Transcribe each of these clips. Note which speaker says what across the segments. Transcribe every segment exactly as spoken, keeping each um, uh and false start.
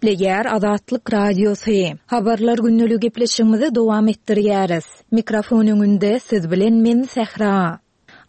Speaker 1: Gepleýär Azatlyk Radiosy. Habarlar gündeligi gepleşigimizi dowam etdirýäris. Mikrofon öňünde siz bilen men Sähra.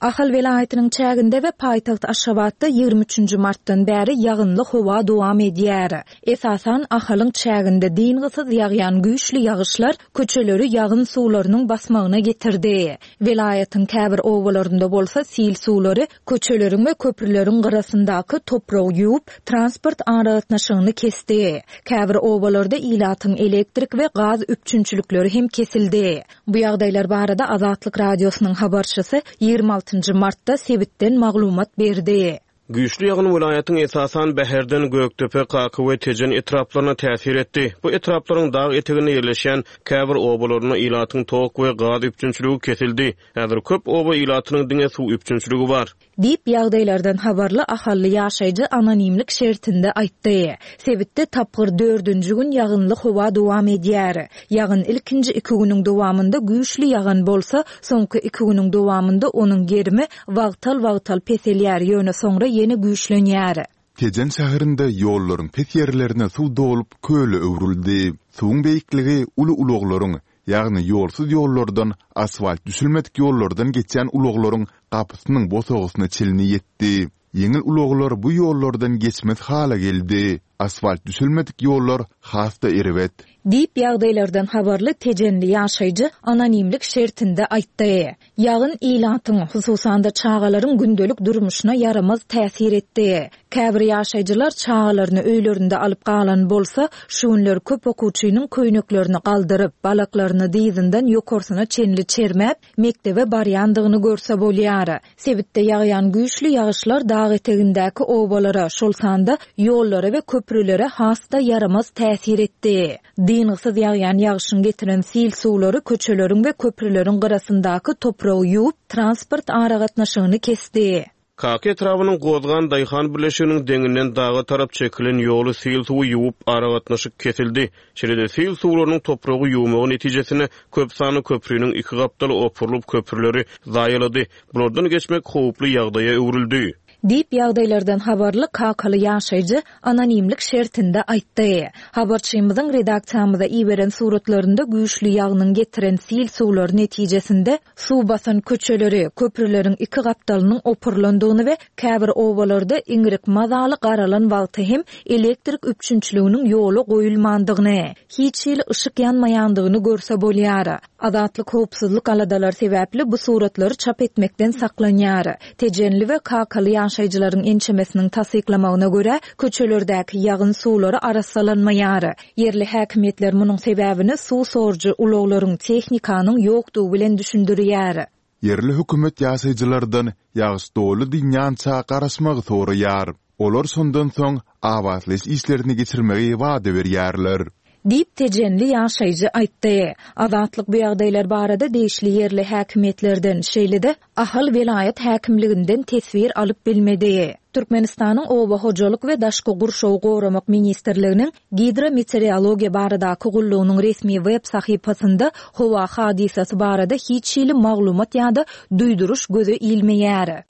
Speaker 1: Ahal welaýatynyň çäginde we paýtagt Aşgabatda ýigrimi üçünji martdan bäri ýagynly howa dowam edýär. Esasan Ahalyň çäginde dyngysyz ýagýan güýçli ýagyşlar köçeleri ýagyn suwlarynyň basmagyna getirdi. Welaýatyň käbir obalarynda bolsa sil suwlary köçeleriň we köprüleriň gyrasyndaky topragy ýuwup, transport aragatnaşygyny kesdi. Käbir obalarda ilatyň elektrik we gaz üpjünçilikleri hem kesildi. Bu ýagdaýlar barada Azatlyk Radiosynyň habarçysy ýigrimi altynjy martda sebitden maglumat berdi.
Speaker 2: Güýçli ýagyn welaýatyň esasan Bäherden, Gökdepe, Kaka we Tejen etraplaryna täsir etdi. Bu etraplaryň dag eteginde ýerleşýän käbir obalarynda ilatyň tok we gaz üpjünçiligi kesildi. Häzir köp oba ilatynyň diňe suw üpjünçiligi bar.
Speaker 1: Diýip, ýagdaýlardan habarly ahally ýaşaýjy anonimlik şertinde aýtdy. Sebitde tapgyr dördünji gün ýagynly howa dowam edýär. Ýagyn ilkinji iki günüň dowamynda güýçli ýagan bolsa, soňky iki günüň dowamynda onuň gerimi wagtal-wagtal peselýär, ýöne soňra ýene güýçlenýär.
Speaker 3: Tejen şäherinde ýollaryň pes ýerlerine suw dolup, köle öwrüldi. Suwuň beýikligi uly ulaglaryň, ýagny ýolsuz ýollardan, asfalt düşülmedik ýollardan geçýän ulaglaryň gapysynyň bosagasyna çenli ýetdi. Ýeňil ulaglar bu ýollardan geçmez hala geldi. Asfalt düşülmedik ýollar has-da erbet.
Speaker 1: Diýip, ýagdaýlardan habarly tejenli ýaşaýjy anonimlik şertinde aýtdy. Ýagyn ilatyň, hususan-da çagalaryň gündelik durmuşyna ýaramaz täsir etdi. Käbir ýaşaýjylar çagalaryny öýlerinde alyp galan bolsa, şu günler köp okuwçynyň köýneklerini galdyryp, balaklaryny dyzyndan ýokarsyna çenli çermäp, mekdebe barýandygyny görse bolýar. Sebitde ýagýan güýçli ýagyşlar dag etegindäki obalara, şol sanda ýollara we köprülere has-da ýaramaz täsir etdi. Dyngysyz ýagýan ýagyşyň getiren sil suwlary köçeleriň we köprüleriň gyrasyndaky topragy ýuwup, transport aragatnaşygyny kesdi.
Speaker 2: Kaka etrabynyň Gozgan daýhan birleşiginiň deňinden daga tarap çekilen ýoly sil suwy ýuwup, aragatnaşyk kesildi. Şeýle-de sil suwlarynyň topragy ýuwmagy netijesinde köp sanly köprüniň iki gapdaly opurylyp, köprüleri zaýalady. Bulardan geçmek howply ýagdaýa öwrüldi.
Speaker 1: Diýip, ýagdaýlardan habarly kakaly ýaşaýjy anonimlik şertinde aýtdy. Habarçymyzyň redaksiýamyza iberen suratlarynda güýçli ýagynyň getiren sil suwlary netijesinde suw basan köçeleri, köprüleriň iki gapdalynyň opurylandygyny we käbir obalarda iňrik mazaly garalan wagty hem elektrik üpjünçiliginiň ýola goýulmandygyny, hiç hili yşyk ýanmaýandygyny görse bolýar. Azatlyk howpsuzlyk aladalary sebäpli bu suratlary çap etmekden saklanýar. Tejenli we kakaly ýaşaýjylaryň ençemesiniň tassyklamagyna görä, köçelerdäki ýagyn suwlary arassalanmaýar. Ýerli häkimiýetler munuň sebäbini suw sorujy ulaglaryň, tehnikanyň ýokdugy bilen düşündirýär.
Speaker 3: Ýerli hökümet ýaşaýjylardan ýagyş doly dynýança garaşmagy soraýar. Olar şondan soň abatlaýyş işlerini geçirmegi wada berýärler.
Speaker 1: Diýip, tejenli ýaşaýjy aýtdy. Azatlyk bu ýagdaýlar barada degişli ýerli häkimiýetlerden, şeýle-de Ahal welaýat häkimliginden teswir alyp bilmedi. Türkmenistanyň Oba hojalyk we daşky gurşawy goramak ministrliginiň Gidrometeorologiýa baradaky gullugynyň resmi web sahypasynda howa hadysasy barada hiç hili maglumat ýa-da duýduryş göze ilmeýär.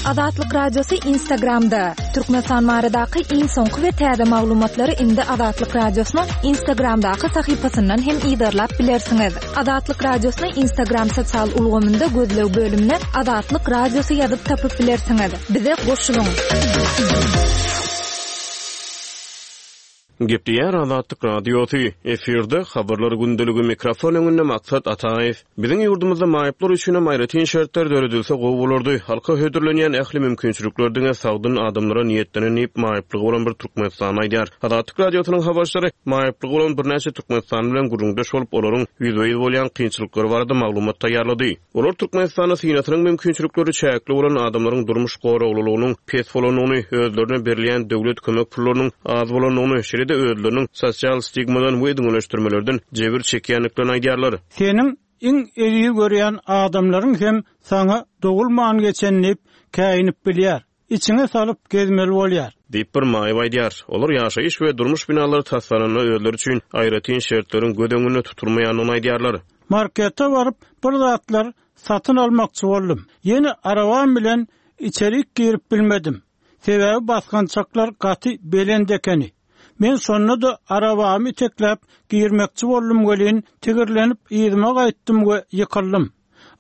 Speaker 1: Azatlyk Radiosy Instagramda. Türkmenistan baradaky iň soňky we täze maglumatlary indi Azatlyk Radiosynyň Instagramdaky sahypasyndan hem yzarlap bilersiňiz. Azatlyk Radiosyny Instagram sosial ulgamynda gözleg bölümine Azatlyk Radiosy ýazyp tapyp bilersiňiz. Bize goşulyň.
Speaker 2: Gepleýär Azatlyk Radiosy. Efirde Habarlar gündeligi, mikrofon öňünde Maksat Ataýew. Biziň ýurdumyzda maýyplar üçin hem aýratyn şertler döredilse gowy bolardy. Halka hödürlenýän ähli mümkinçilikler diňe sagdyn adamlara niýetlenen diýip, maýyplygy bolan bir türkmenistanly aýdýar. Azatlyk Radiosynyň habarçylary maýyplygy bolan birnäçe türkmenistanly bilen gürrüňdeş bolup, olaryň ýüzbe-ýüz bolýan kynçylyklary barada maglumat taýýarlady. Olar Türkmenistanda synasynyň mümkinçilikleri çäkli bolan adamlaryň durmuş goraglylygynyň pes bolandygyny, özlerine berilýän döwlet kömek pullarynyň az bolandygyny, şeýle-de özleriniň sosial stigmadan we düňeleşdirmelerden jebir çekýändiklerini aýdýarlar.
Speaker 4: Seniň iň eziz görýän adamlaryň hem saňa dogulman geçen diýip käýinip bilýär. Içiňe salyp gezmeli bolýar.
Speaker 2: Diýip, bir maýyp aýdýar. Olar ýaşaýyş we durmuş binalary taslananda özleri üçin aýratyn şertleriň göz öňünde tutulmaýandygyny aýdýarlar.
Speaker 4: Markete baryp bir zatlar satyn almakçy boldum. Ýene arabam bilen içerik girip bilmedim. Sebäbi basgançaklar gaty belent ekeni. Men şonda-da arabamy itekläp girmekçi boldum welin, tigirlenip yzyma gaýtdym we ýykyldym.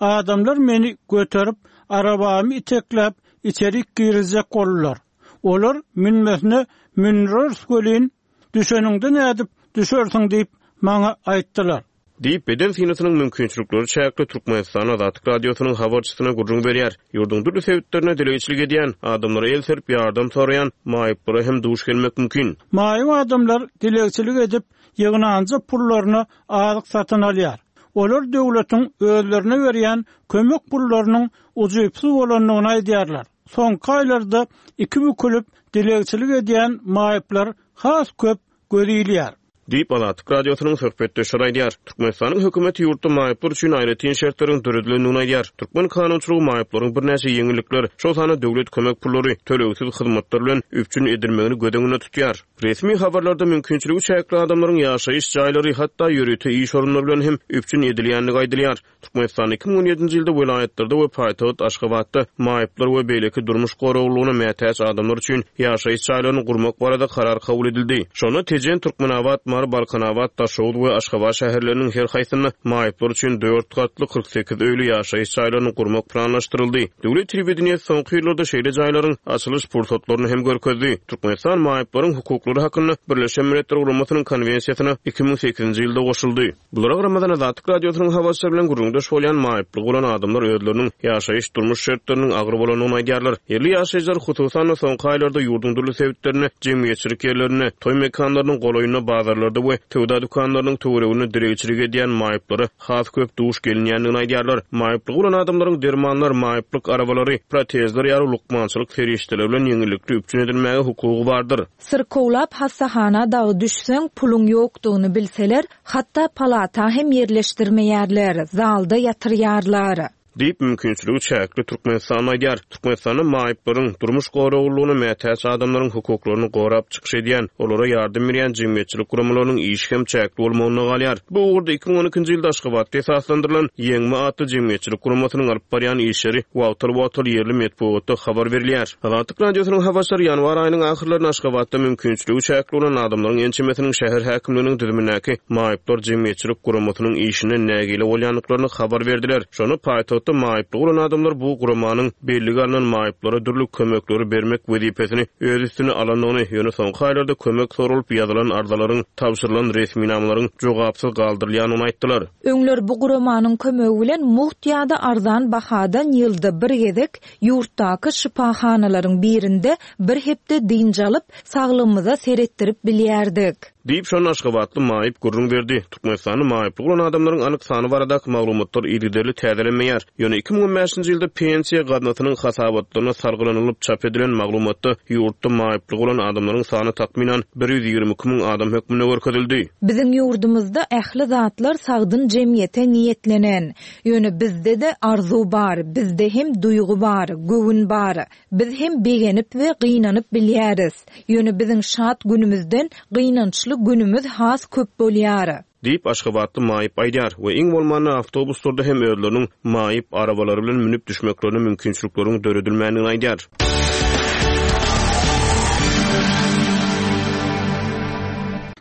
Speaker 4: Adamlar meni göterip, arabamy itekläp içerik girizjek boldular. Olar münmesine mündireris welin, düşeniňde nädip düşersiň diýip, maňa aýtdylar.
Speaker 2: Diýip, beden synasynyň mümkinçilikleri çäkli Türkmenistan Azatlyk Radiosynyň habarçysyna gürrüň berýär. Ýurduň dürli sebitlerinde dilegçilik edýän, adamlara el serip ýardam soraýan maýyplara hem duş gelmek mümkin.
Speaker 4: Maýyp adamlar dilegçilik edip, ýygnanja pullaryna azyk satyn alýar. Olar döwletiň özlerine berýän kömek pullarynyň ujypsyz bolandygyny aýdýarlar. Soňky aýlarda iki bükülip dilegçilik edýän maýyplar has köp göz ilýär.
Speaker 2: Diýip, Azatlyk Radiosynyň söhbetdeşleri aýdýar. Türkmenistanyň hökümeti ýurtda maýyplar üçin aýratyn şertleriň döredilendigini aýdýar. Türkmen kanunçylygy maýyplaryň birnäçe ýeňillikler, şol sanda döwlet kömek pullary, tölegsiz hyzmatlar bilen üpjün edilmegini göz öňünde tutýar. Resmi habarlarda mümkinçiligi çäkli adamlaryň ýaşaýyş jaýlary, hatda ýörite iş orunlary bilen hem üpjün edilýändigi aýdylýar. Türkmenistanda iki müň on ýedinji ýylda welaýatlarda we paýtagt Aşgabatda maýyplar we beýleki durmuş goraglylygyna mätäç adamlar üçin ýaşaýyş jaýlaryny gurmak barada karar kabul edildi. Şonda Tejen, Türkmenabat, Mary, Balkanabat, Daşoguz we Aşgabat şäherleriniň her haýsynda maýyplar üçin dört gatly kyrk sekiz öýli ýaşaýyş jaýlaryny gurmak planlaşdyryldy. Döwlet telewideniýesi soňky ýyllarda şeýle jaýlaryň açylyş pursatlaryny hem görkezdi. Türkmenistan maýyplaryň hukuklary hakynda Birleşen Milletler Guramasynyň konwensiýasyna iki müň sekizinji ýylda goşuldy. Bulara garamazdan Azatlyk Radiosynyň habarçylary bilen gürrüňdeş bolýan maýyplygy bolan adamlar özleriniň ýaşaýyş durmuş şertleriniň agyr bolandygyny aýdýarlar. Ýerli ýaşaýjylar hususan-da soňky aýlarda ýurduň dürli sebitlerinde, jemgyýetçilik ýerlerinde, toý mekanlarynyň golaýynda, bazarlarda we söwda dükanlarynyň töwereginde dilegçilik edýän maýyplara has köp duş gelinýändigini aýdýarlar. Maýyplygy bolan adamlaryň dermanlar, maýyplyk arabalary, protezler ýaly lukmançylyk serişdeleri bilen ýeňillikli üpjün edilmäge hukugy bardyr.
Speaker 1: Syrkawlap hassahana dagy düşseň, puluň ýokdugyny bilseler, hatda palata hem ýerleşdirmeýärler, zalda ýatyrýarlar.
Speaker 2: Diýip, mümkinçiligi çäkli Türkmenistan aýdýar. Türkmenistanda maýyplaryň durmuş goraglylygyna mätäç adamlaryň hukuklaryny gorap çykyş edýän, olara ýardam berýän jemgyýetçilik guramalarynyň işi hem çäkli bolmagyna galýar. Bu ugurda iki müň on ikinji ýylda Aşgabatda esaslandyrylan Ýeňme atly jemgyýetçilik guramasynyň alyp barýan işleri wagtal-wagtal ýerli metbugatda habar berilýär. Azatlyk Radiosynyň habarçylary ýanwar aýynyň ahyrlarynda Aşgabatda mümkinçiligi çäkli bolan adamlaryň ençemesiniň şäher häkimliginiň düzümindäki maýyplar jemgyýetçilik guramasynyň işinden nägile bolýandyklaryny habar berdiler. Şonda paýtagtda maýyplygy bolan adamlar bu guramanyň bellige alnan maýyplara dürli kömekleri bermek wezipesini öz üstüne alandygyny, ýöne soňky aýlarda kömek soralyp ýazylan arzalaryň, tabşyrylan resminamalaryň jogapsyz galdyrylýandygyny aýtdylar.
Speaker 1: Öňler bu guramanyň kömegi bilen mugt ýa-da arzan bahadan ýylda bir gezek ýurtdaky şypahanalaryň birinde bir hepde dynç alyp, saglygymyza seretdirip bilýärdik.
Speaker 2: Diýip, şonda Aşgabatly maýyp gürrüň berdi. Türkmenistanda maýyplygy bolan adamlaryň anyk sany baradaky maglumatlar yzygiderli täzelenmeýär. Ýöne iki müň on bäşinji ýylda pensiýa gaznasynyň hasabatlaryna salgylanylyp çap edilen maglumatda ýurtda maýyplygy bolan adamlaryň sany takmynan bir ýüz ýigrimi iki müň adam hökmünde görkezildi.
Speaker 1: Biziň ýurdumyzda ähli zatlar sagdyn jemgyýete niýetlenen. Ýöne bizde-de arzuw bar, bizde hem duýgy bar, göwün bar. Biz hem begenip we gynanyp bilýäris. Ýöne biziň şat günümizden gynançly günümüz has köp bolýar.
Speaker 2: Diýip, Aşgabatly maýyp aýdýar we iň bolmanda awtobuslarda hem özleriniň maýyp arabalary bilen münüp düşmeklerine mümkinçilikleriň döredilmändigini aýdýar.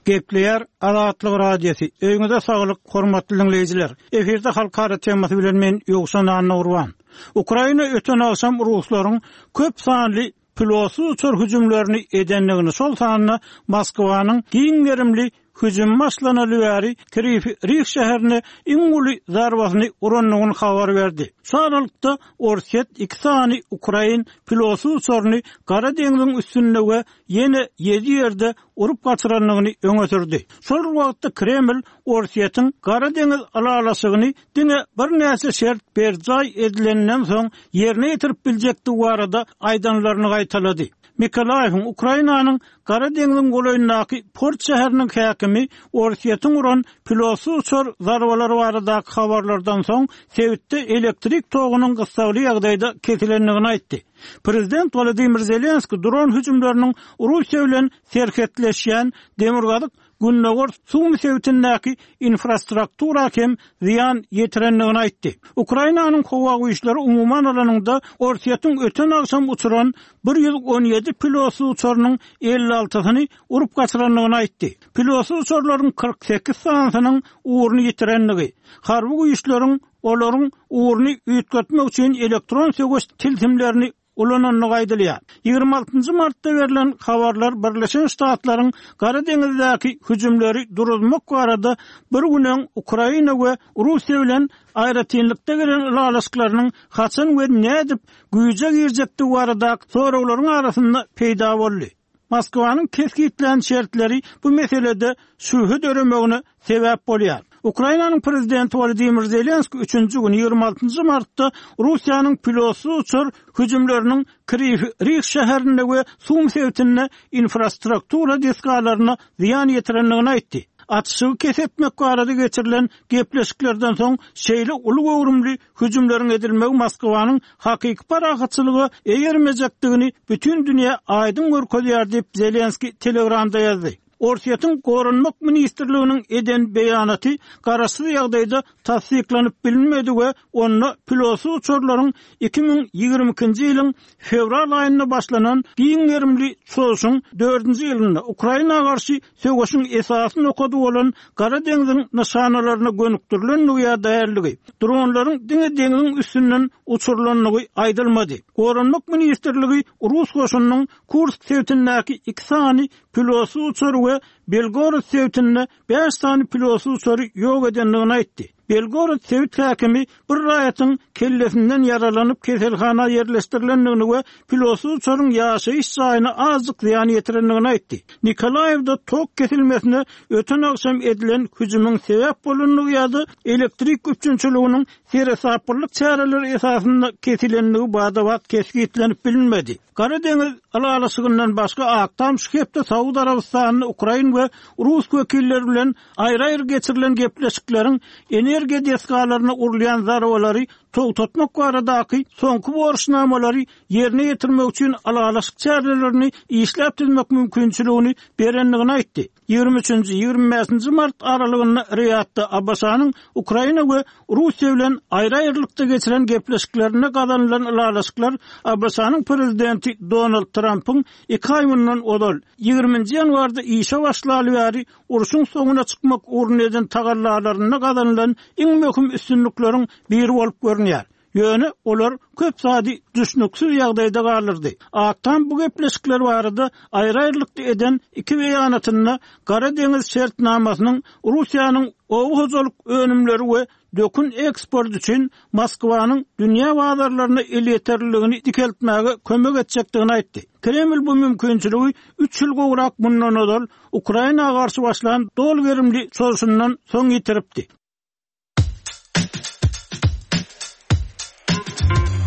Speaker 4: Gepleýär Azatlyk Radiosy. Öýüňize saglyk, hormatly dinleýjiler. Efirde halkara temasy bilen men Ýowşan Annagurban. Ukraina öten agşam ruslaryň köp sanly pilotsyz uçar hüjümlerini edendigini, şol sanda Moskwanyň giň gerimli hüjüm başlanaly bäri Krywiý Rih şäherine iň uly zarbasyny urandygyny habar berdi. Şu aralykda Orsýet iki sany Ukrain pilotsyz uçaryny Gara deňziň üstünde we ýene ýedi ýerde urup gaçyrandygyny öňe sürdi. Şol wagtda Kreml Orsýetiň Gara deňiz ylalaşygyny diňe birnäçe şert berjaý edilenden soň ýerine ýetirip biljekdigi barada aýdanlaryny gaýtalady. Mikolaýewiň Ukrainanyň Gara deňziň golaýyndaky port şäheriniň häkimi Orsýetiň uran pilotsyz uçar zarbalary baradaky habarlardan soň sebitde elektrik togunyň gyssagly ýagdaýda kesilendigini aýtdy. Prezident Wladimir Zelenski dron hüjümleriniň Russiýa bilen serhetleşýän Demirgazyk gündogar Sumy sebitindäki infrastruktura hem zyýan ýetirendigini aýtdy. Ukrainanyň howa güýçleri umuman alanyňda Orsýetiň öten agşam uçuran bir ýüz on ýedi pilotsyz uçarynyň elli altysyny urup gaçyrandygyny aýtdy. Pilotsyz uçarlaryň kyrk sekiz sanysynyň ugruny ýitirendigi, harby güýçleriň olaryň ugruny üýtgetmek üçin elektron söweş tilsimlerini ulanandygy aýdylýar. Ýigrimi altynjy martda berlen habarlar Birleşen Ştatlaryň Gara deňizdäki hüjümleri duruzmak barada bir gün öň Ukraina we Russiýa bilen aýratynlykda gelen ylalaşyklarynyň haçan we nädip güýje girjekdigi barada soraglaryň arasynda peýda boldy. Moskwanyň kesgitlän şertleri bu meselede şübhe döremegine sebäp bolýar. Ukrainanyň prezidenti Wladimir Zelenski üçünji gün ýigrimi altynjy martda Russiýanyň pilotsyz uçar hüjümleriniň Kriw Rih şäherinde we Sum sebitinde infrastruktura desgalaryna zyýan ýetirendigini aýtdy. Atyşygy kes etmek barada geçirilen gepleşiklerden soň şeýle uly göwrümli hüjümleriň edilmegi Moskwanyň hakyky parahatçylyga eýermejekdigini bütün dünýä aýdyň görkezýär diýip Zelenski Telegramda ýazdy. Orsýetiň Goranmak ministrliginiň eden beýanaty garaşsyz ýagdaýda tassyklanyp bilinmedi we onda pilotsyz uçarlaryň iki müň ýigrimi ikinji ýylyň fewral aýynda başlanan giň gerimli çozuşyň dördünji ýylynda Ukraina garşy söweşiň esasy nokady bolan Gara deňziň nyşanalaryna gönükdirilendigi ýa dälligi, dronlaryň diňe deňziň üstünden uçurylandygy aýdylmady. Goranmak ministrligi Rus goşunynyň Kursk sebitindäki iki sany pilotsyz uçary we Belgorod sebitinde bäş sany pilotsyz uçary ýok edendigini aýtdy. Belgorod sebit häkimi bir raýatyň kellesinden ýaralanyp keselhana ýerleşdirilendigini we pilotsyz uçaryň ýaşaýyş jaýyna azjyk zyýan ýetirendigini aýtdy. Nikolaýewde tok kesilmesine öten agşam edilen hüjümiň sebäp bolandygy ýa-da elektrik üpjünçiliginiň seresaplylyk çäreleri esasynda kesilendigi bada-bat kesgitlenip bilinmedi. Gara deňiz ylalaşygyndan başga Ak Tam şu hepde Saud Arabystanyny Ukrain we Rus wekilleri bilen aýry-aýry geçirilen gepleşikleriň energiýa desgalaryna urulýan zarbalary togtatmak baradaky soňky borçnamalary ýerine ýetirmek üçin ylalaşyk çärelerini işläp düzmek mümkinçiligini berendigini aýtdy. Ýigrimi üçünji, ýigrimi bäşinji mart aralygynda Riýadda ABŞ-nyň Ukraina we Russiýa bilen aýry-aýrylykda geçiren gepleşiklerinde gazanylan ylalaşyklar ABŞ-nyň prezidenti Donald Trampyň iki aý mundan ozal ýigriminji ýanwarda işe başlaly bäri urşuň soňuna çykmak ugrunda eden tagallalarynda gazanylan iň möhüm üstünlikleriň biri bolup görünýär. Ýöne olar köp zady düşnüksiz ýagdaýda galdyrdy. Ak Tam bu gepleşikler barada aýry-aýrylykda eden iki beýanatynda Gara deňiz şertnamasynyň Russiýanyň oba hojalyk önümleri we dökün eksport üçin Moskwanyň dünýä bazarlaryna elýeterliligini dikeltmäge kömek etjekdigini aýtdy. Kreml bu mümkinçiligi üç ýyl gowrak mundan ozal Ukraina garşy başlan doly gerimli çozuşyndan soň ýitiripdi.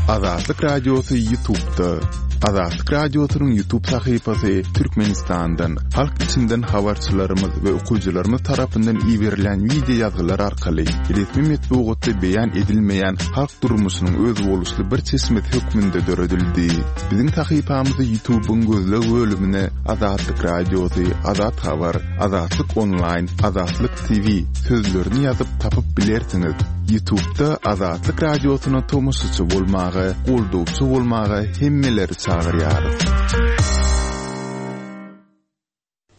Speaker 3: Azatlyk Radiosy YouTube'da. Azatlyk Radiosynyň YouTube sahypasy Türkmenistandan, halk içinden habarçylarymyz we okyjylarymyz tarapyndan iberilen video ýazgylar arkaly resmi metbugatda beýan edilmeýän halk durmuşynyň özboluşly bir çeşmesi hökmünde döredildi. Biziň sahypamyzy YouTube'yň gözleg bölümine Azatlyk Radiosy, Azat Habar, Azatlyk Online, Azatlyk T V sözlerini ýazyp tapyp bilersiňiz. YouTube'da Azatlyk Radiosyna tomaşaçy bolmaga, goldawçy bolmaga hemmeleri çagyrýarys.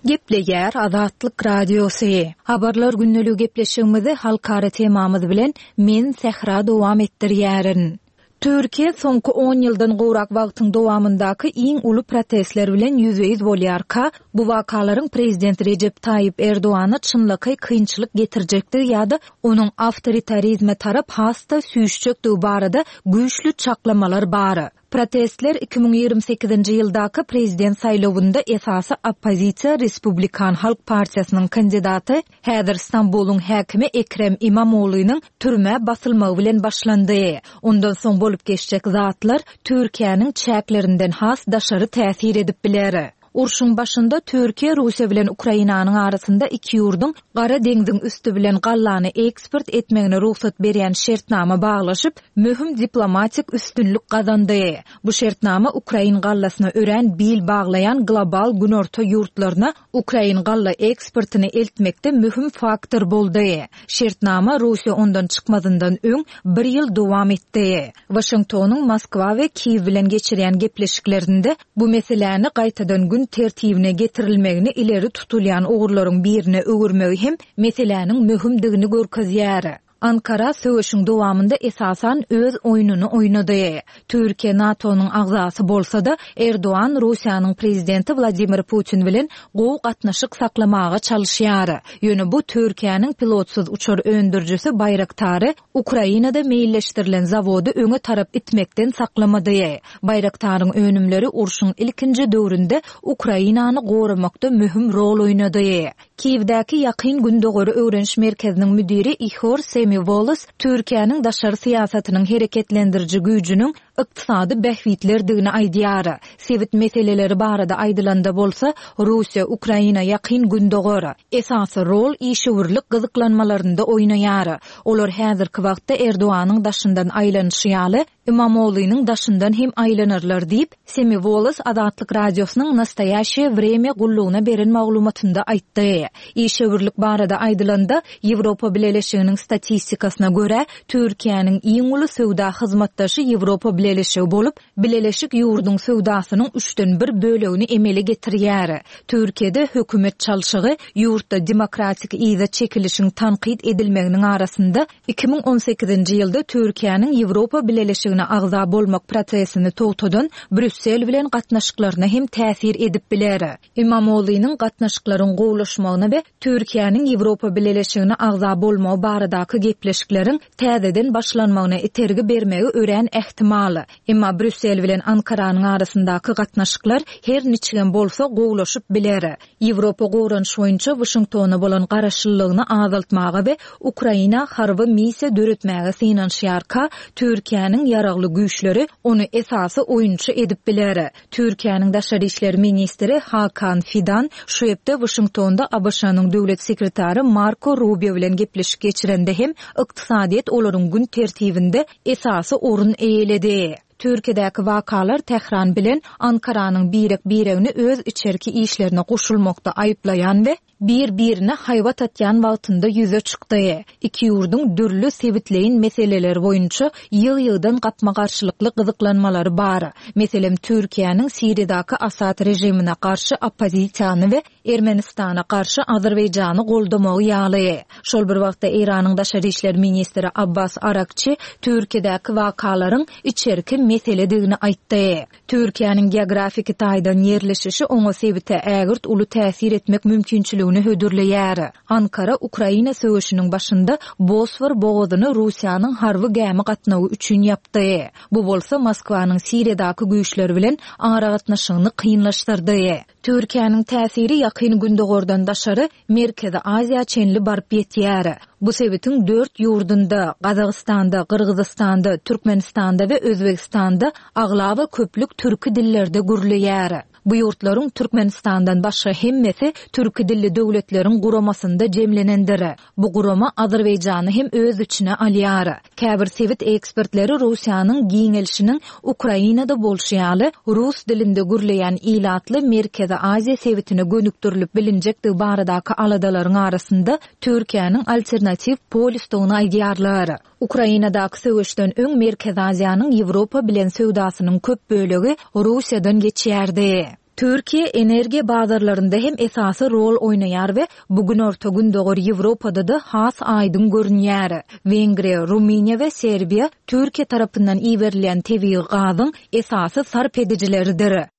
Speaker 1: Gepleýär Azatlyk Radiosy. Habarlar günlügi gepleşigimizi halkara temamyz bilen men Sähra dowam etdirýärin. Türkiye soňky on ýyldan gowrak wagtyň dowamyndaky iň uly protestler bilen ýüzbe-ýüz bolýarka, bu wakalaryň prezident Recep Tayyip Erdogana çynlakaý kynçylyk getirjekdigi ýa-da onuň awtoritarizme tarap has-da süýşjekdigi barada güýçli çaklamalar bar. Protestler iki müň ýigrimi sekizinji ýyldaky prezident saýlawynda esasy oppozisiýa Respublikan Halk Partiýasynyň kandidaty häzir Stambulyň häkimi Ekrem İmamoğlu'nyň türmä basylmagy bilen başlandy. Ondan soň bolup geçjek zatlar Türkiýäniň çäklerinden has daşary täsir edip biler. Urşuň başynda Türkiýe Russiýa bilen Ukrainanyň arasynda iki ýurduň Gara deňziň üsti bilen gallany eksport etmegine rugsat berýän şertnama baglaşyp, möhüm diplomatik üstünlik gazandy. Bu şertnama ukrain gallasyna örän bil baglaýan global günorta ýurtlaryna ukrain galla eksportyny eltmekde möhüm faktor boldy. Şertnama Russiýa ondan çykmazyndan öň bir ýyl dowam etdi. Waşingtonyň Moskwa we Kiýew bilen geçirýän gepleşiklerinde bu meseläni gaýtadan gün tertibine getirilmegini ileri tutulýan ugurlaryň birine öwürmegi hem meseläniň möhümdigini görkezýär. Ankara söweşiň dowamynda esasan öz oýnuny oýnady. Türkiýe NATO-nyň agzasy bolsa-da, Erdogan Russiýanyň prezidenti Wladimir Putin bilen gowy gatnaşyk saklamaga çalyşýar. Ýöne bu Türkiýäniň pilotsyz uçar öndürijisi Baýraktary Ukrainada meýilleşdirilen zawody öňe tarap itmekden saklamady. Baýraktaryň önümleri urşuň ilkinji döwründe Ukrainany goramakda möhüm rol oýnady. Kiýewdäki Ýakyn Gündogary öwreniş merkeziniň müdiri Ihor Semiwolos Türkiýäniň daşary syýasatynyň hereketlendiriji güýjüniň ykdysady bähbitlerdigini aýdýar. Sebit meseleleri barada aýdylanda bolsa, Russiýa, Ukraina, Ýakyn Gündogar esasy rol işewürlik gyzyklanmalarynda oýnaýar. Olar häzirki wagtda Erdoganyň daşyndan aýlanyşy ýaly, Imamoglunyň daşyndan hem aýlanarlar diýip, Semiwolos Azatlyk Radiosynyň Nastoýaşeýe Wremýa gullugyna beren maglumatynda aýtdy. Işewürlik barada aýdylanda, Ýewropa Bileleşiginiň statistikasyna görä, Türkiýäniň iň uly söwda hyzmatdaşy Ýewropa Bileleşigi bolup, Bileleşik ýurduň söwdasynyň üçden bir bölegini emele getirýär. Türkiýede hökümet çalşygy ýurtda demokratik yza çekilişiň tankyt edilmeginiň arasynda iki müň on sekizinji ýylda Türkiýäniň Ýewropa Bileleşigine agza bolmak prosesini togtadan Brýussel bilen gatnaşyklaryna hem täsir edip biler. Imamoglunyň gatnaşyklaryň gowulaşmagyna we Türkiýäniň Ýewropa Bileleşigine agza bolmagy baradaky gepleşikleriň täzeden başlanmagyna itergi bermegi örän ähtimal. Emma Brýussel bilen Ankaranyň arasyndaky gatnaşyklar her niçigem bolsa gowulaşyp biler. Ýewropa goranyş boýunça Waşingtona bolan garaşlylygyny azaltmaga we Ukraina harby missiýa döretmäge synanyşýarka, Türkiýäniň ýaragly güýçleri ony esasy oýunçy edip biler. Türkiýäniň daşary işler ministri Hakan Fidan şu hepde Waşingtonda A B Ş-nyň döwlet sekretary Marko Rubio bilen gepleşik geçirende hem ykdysadyýet olaryň gün tertibinde esasy orun eýeledi. Türkiýedäki wakalar Tähran bilen Ankaranyň birek-biregini öz içerki işlerine goşulmakda aýyplaýan we bir-birine haýbat atýan wagtynda ýüze çykdy. Iki ýurduň dürli sebitleýin meseleler boýunça ýyg-ýygdan gapma-garşylykly gyzyklanmalary bar. Meselem, Türkiýäniň Siriýadaky Asad režimine garşy oppozisiýany we Ermenistana garşy Azerbaýjany goldamagy ýaly. Şol bir wagtda Eýranyň daşary işler ministri Abbas Arakçi Türkiýedäki wakalaryň içerki meseledigini aýtdy. Türkiýäniň geografiki taýdan ýerleşişi oňa sebite ägirt uly täsir etmek mümkinçiligini hödürleýär. Ankara Ukraina söweşiniň başynda Bosfor bogazyny Russiýanyň harby gämi gatnawy üçin ýapdy. Bu bolsa Moskwanyň Siriýadaky güýçleri bilen aragatnaşygyny kynlaşdyrdy. Türkiýäniň täsiri Ýakyn Gündogardan daşary Merkezi Aziýa çenli baryp ýetýär. Bu sebitiň dört ýurdunda, Gazagystanda, Gyrgyzystanda, Türkmenistanda we Özbegistanda aglaba köplük türki dillerde gürleýär. Bu ýurtlaryň Türkmenistandan başga hemmesi türki dilli döwletleriň guramasynda jemlenendir. Bu gurama Azerbaýjany hem öz içine alýar. Käbir sebit ekspertleri Russiýanyň giňelişiniň Ukrainada bolşy ýaly rus dilinde gürleýän ilatly Merkezi Aziýa sebitine gönükdirilip bilinjekdigi baradaky aladalaryň arasynda Türkiýäniň alternatiw polisdigini aýdýarlar. Ukrainadaky söweşden öň Merkezi Aziýanyň Ýewropa bilen söwdasynyň köp bölegi Russiýadan geçýärdi. Türkiýe energiýa bazarlarynda hem esasy rol oýnaýar we bu günorta Gündogar Ýewropada da has aýdyň görünýär. Wengriýa, Rumyniýa we Serbiýa Türkiýe tarapyndan iberilýän tebigy gazyň esasy sarp edijileridir.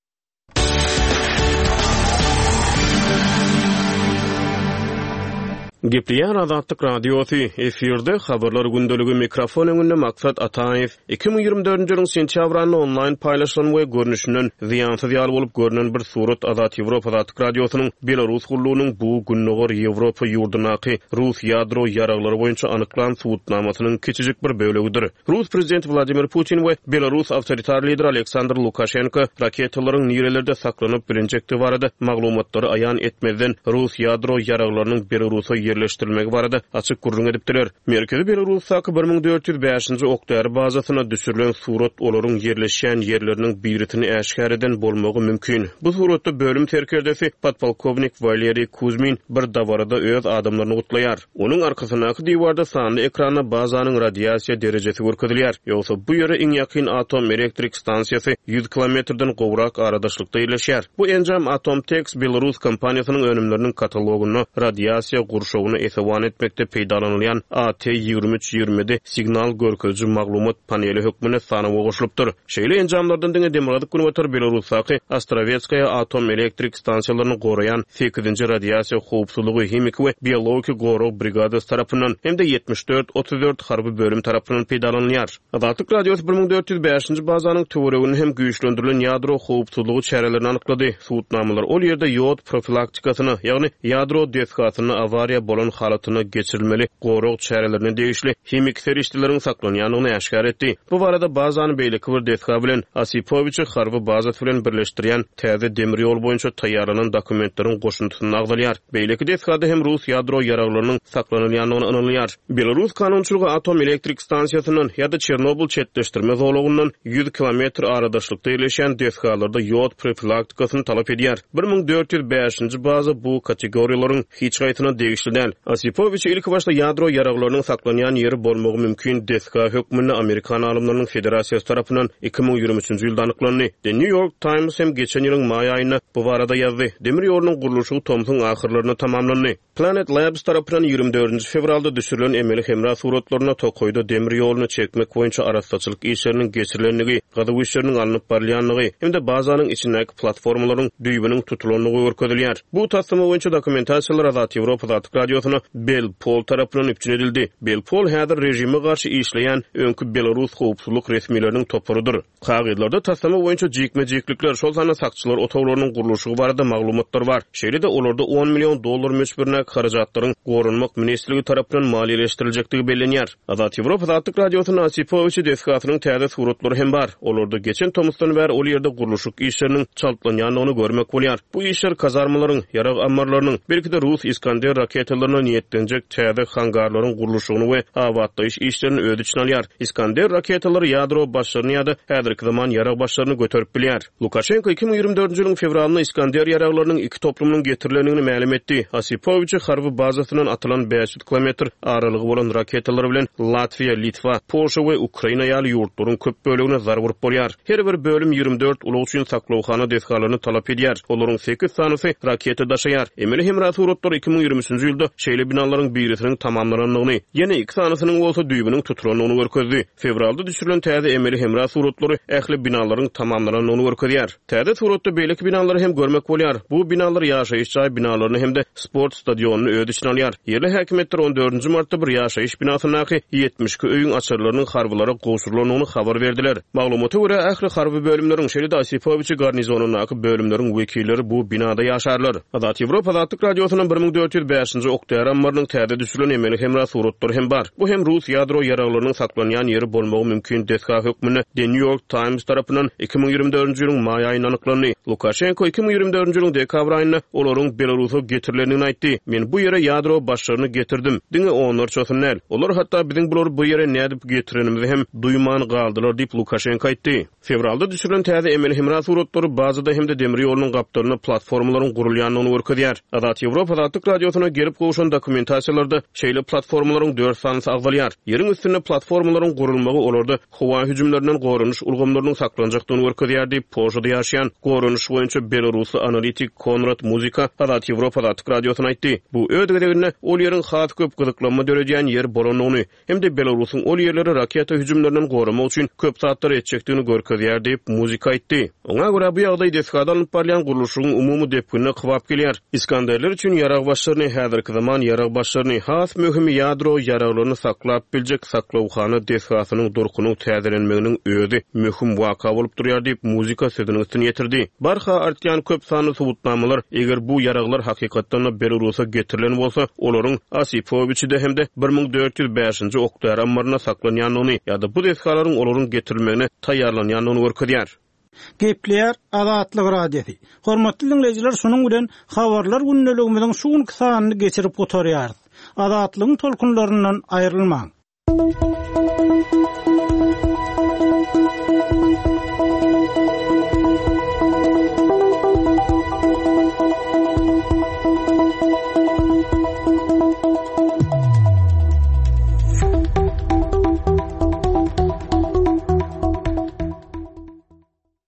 Speaker 2: Gepleýär Azatlyk Radiosy, efirde Habarlar gündeligi, mikrofon öňünde Maksat Ataýew. Iki müň ýigrimi dördünji ýylyň sentýabr aýynda onlaýn paýlaşylan we görnüşinden zyýansyz ýaly bolup görnen bir surat Azat Ýewropa Azatlyk Radiosynyň Belarus gullugynyň bu Gündogar Ýewropa ýurdundaky rus ýadro ýaraglary boýunça anyklan subutnamasynyň kiçijik bir bölegidir. Rus prezidenti Wladimir Putin we belarus awtoritar lideri Aleksandr Lukaşenko raketalaryň nirelerde saklanyp bilinjekdigi barada maglumatlary aýan etmezden rus ýadro ýaraglarynyň Belarusa ýerleşdirilmegi barada açyk gürrüň edipdiler. Merkezi Belarusdaky bir müň dört ýüz bäşinji okdäri bazasyna düşürilen surat olaryň ýerleşýän ýerleriniň birisini äşgär eden bolmagy mümkin. Bu suratda bölüm serkerdesi podpolkownik Waleriý Kuzmin bir dabarada öz adamlaryny gutlaýar. Onuň arkasyndaky diwarda sanly ekranda bazanyň radiasiýa derejesi görkezilýär. Ýogsa bu ýere iň ýakyn atom elektrik stansiýasy ýüz kilometrden gowrak aradaşlykda ýerleşýär. Bu enjam Atomtex Belarus kompaniýasynyň önümleriniň katalogynda radiasiýa gurşawyny esewan etmekde peýdalanylýan A T ýigrimi üç ýigrimi ýedi signal görkeziji maglumat paneli hökmünde sanawa goşulypdyr. Şeýle enjamlardan diňe Demirgazyk Günbatar Belarusdaky Ostrawetskaya atom elektrik stansiýalaryny goraýan sekizinji radiasiýa howpsuzlygy, himiki we biologiki gorag brigadasy tarapyndan hem-de ýetmiş dört otuz dört harby bölüm tarapyndan peýdalanylýar. Azatlyk Radiosy bir müň dört ýüz bäşinji bazanyň töweregini hem güýçlendirilen ýadro howpsuzlygy çärelerini anyklady. Subutnamalar ol ýerde ýod profilaktikasyna, ýagny ýadro desgasynda awariýa bolan halatyna geçirilmeli gorag çärelerine degişli himiki serişdeleriň saklanýandygyny äşgär etdi. Bu barada bazany beýleki bir desga bilen Osipowiçi harby bazasy bilen birleşdirýän täze demir ýol boýunça taýýarlanan dokumentleriň goşundysynda agzalýar. Beýleki desgada hem rus ýadro ýaraglarynyň saklanylýandygyny ynanylýar. Belarus kanunçylygy atom elektrik stansiýasyndan ýa-da Çernobyl çetleşdirme zolagyndan ýüz kilometr aradaşlykda ýerleşen desgalarda ýod profilaktikasyny talap edýär. bir müň dört ýüz bäşinji baza bu kategoriýalaryň hiç haýsyna degişli däl. Osipowiç ilk başda ýadro ýaraglarynyň saklanýan ýeri bolmagy mümkin desga hökmünde Amerikan alymlarynyň federasiýasy tarapyndan iki müň ýigrimi üçünji ýylda anyklandy. The New York Times hem geçen ýylyň maý aýynda bu barada ýazdy. Demir ýolunyň gurluşygy tomsuň ahyrlarynda tamamlandy. Planet Labs tarapyndan ýigrimi dördünji fewralda düşürilen emeli hemra suratlaryna tokaýda demir ýoluny çekmek boýunça arassaçylyk işleriniň geçirilendigi, gazuw işleriniň alnyp barylýandygy hem-de bazanyň içindäki platformalaryň düýbüniň tutulandygy görkezilýär. Bu taslama boýunça dokumentasiýalar Azat Ýewropa Azatlyk Radiosyna Belpol tarapyndan üpjün edildi. Belpol häzir rejime garşy işleýän öňki Belarus howpsuzlyk resmileriniň toparydyr. Kagyzlarda taslama boýunça jikme-jiklikler, şol sanda sakçylar otaglarynyň gurluşygy barada maglumatlar bar. Şeýle-de olarda on million dollar möçberindäki harajatlaryň Goranmak ministrligi tarapyndan maliýeleşdiriljekdigi bellenýär. Azat Ýewropa Azatlyk Radiosynyň Osipowiçi desgasynyň täze suratlary hem bar. Olarda geçen tomusdan bäri ol ýerde gurluşyk işleriniň çaltlanýandygyny görmek bolýar. Bu işler kazarmalaryň, ýarag ammarlarynyň, belki-de Rus Iskander raketalaryna niýetlenjek täze hangarlaryň gurluşygyny we abatlaýyş işlerini öz içine alýar. Iskander raketalary ýadro başlaryny ýa-da häzirki zaman ýarag başlaryny göterip bilýär. Lukaşenko iki müň ýigrimi dördünji ýylyň fewralynda Iskander ýaraglarynyň iki toplumynyň getirilendigini mälim etdi. Osipowiçi harby bazasyndan atylan bäş ýüz kilometr aralygy bolan raketalar bilen Latwiýa, Litwa, Polşa we Ukraina ýaly ýurtlaryň köp bölegine zarb urup bolýar. Her bir bölüm ýigrimi dört ulag üçin saklawhana desgalaryny talap edýär. Olaryň sekiz sanysy raketa daşaýar. Emeli hemra suratlary iki müň ýigrimi üçünji ýylda şeýle binalaryň birisiniň tamamlanandygyny, ýene iki sanysynyň bolsa düýbüniň tutulandygyny görkezdi. Fewralda düşürilen täze emeli hemra suratlary ähli binalaryň tamamlanandygyny görkezýär. Täze suratda beýleki binalary hem görmek bolýar. Bu binalar ýaşaýyş jaý binalaryny hem-de sport stadionyny öz içine alýar. Ýerli häkimiýetler on dördünji martda bir ýaşaýyş binasyndaky ýetmiş iki öýüň açarlarynyň harbylara gowşurylandygyny habar berdiler. Maglumata görä ähli harby bölümleriň, şeýle-de Osipowiçi garnizonyndaky bölümleriň wekilleri bu binada ýaşarlar. Azat Ýewropa Azatlyk Radiosynyň bir müň dört ýüz bäşinji okdäri ammarynyň täze düşürilen emeli hemra suratlary hem bar. Bu hem Rus ýadro ýaraglarynyň saklanýan ýeri bolmagy mümkin desga hökmünde The New York Times tarapyndan iki müň ýigrimi dördünji ýylyň maý aýynda anyklandy. Lukaşenko iki müň ýigrimi dördünji ýylyň dekabr aýynda olaryň Belarusa getirilendigini aýtdy. Men bu ýere ýadro başlaryny getirdim. Diňe onlarçasyny däl. Olar hatda biziň bulary bu ýere nädip getirenimizi hem duýman galdylar diýip Lukaşenko aýtdy. Fewralda düşürilen täze emeli hemra suratlary bazada hem-de demir ýolunyň gapdalynda platformalaryň gurulýandygyny görkezýär. Azat Ýewropa Azatlyk Radiosyna gelip gowşan dokumentasiýalarda şeýle platformalaryň dört sanysy agzalýar. Ýeriň üstünde platformalaryň gurulmagy olarda howa hüjümlerinden goranyş ulgamlarynyň saklanjakdygyny görkezýär diýip Polşada ýaşaýan goranyş boýunça belarusly analitik Konrad Muzika Azat Ýewropa Azatlyk Radiosyna aýtdy. Bu öz gezeginde ol ýeriň has köp gyzyklanma döredýän ýer bolandygyny hem-de Belarusyň ol ýerleri raketa hüjümlerinden goramak üçin köp zatlar etjekdigini görkezýär diýip Muzika aýtdy. Oňa görä bu ýagdaý desgada alnyp barylýan gurluşygyň umumy depginine kybap gelýär. Iskanderler üçin ýarag başlaryny häzirki häzirki zaman ýarag başlaryny, has möhümi ýadro ýaraglaryny saklap biljek saklawhana desgasynyň durkunyň täzelenmeginiň özi möhüm waka bolup durýar diýip, Muzyka sözüniň üstüni ýetirdi. Barha artýan köp sanly subutnamalar, eger bu ýaraglar hakykatdan-da Belarusa getirilen bolsa, olaryň Osipowiçide hem-de bir müň dört ýüz bäşinji ok-däri ammarynda saklanýandygyny ýa-da bu desgalaryň olaryň getirilmegine taýýarlanýandygyny görkezýär.
Speaker 4: Gepleýär Azatlyk Radiosy. Hormatly diňleýjiler, şunuň bilen habarlar gündeligimiziň şu günki sanyny geçirip gutarýarys. Azatlygyň tolkunlaryndan aýrylmaň.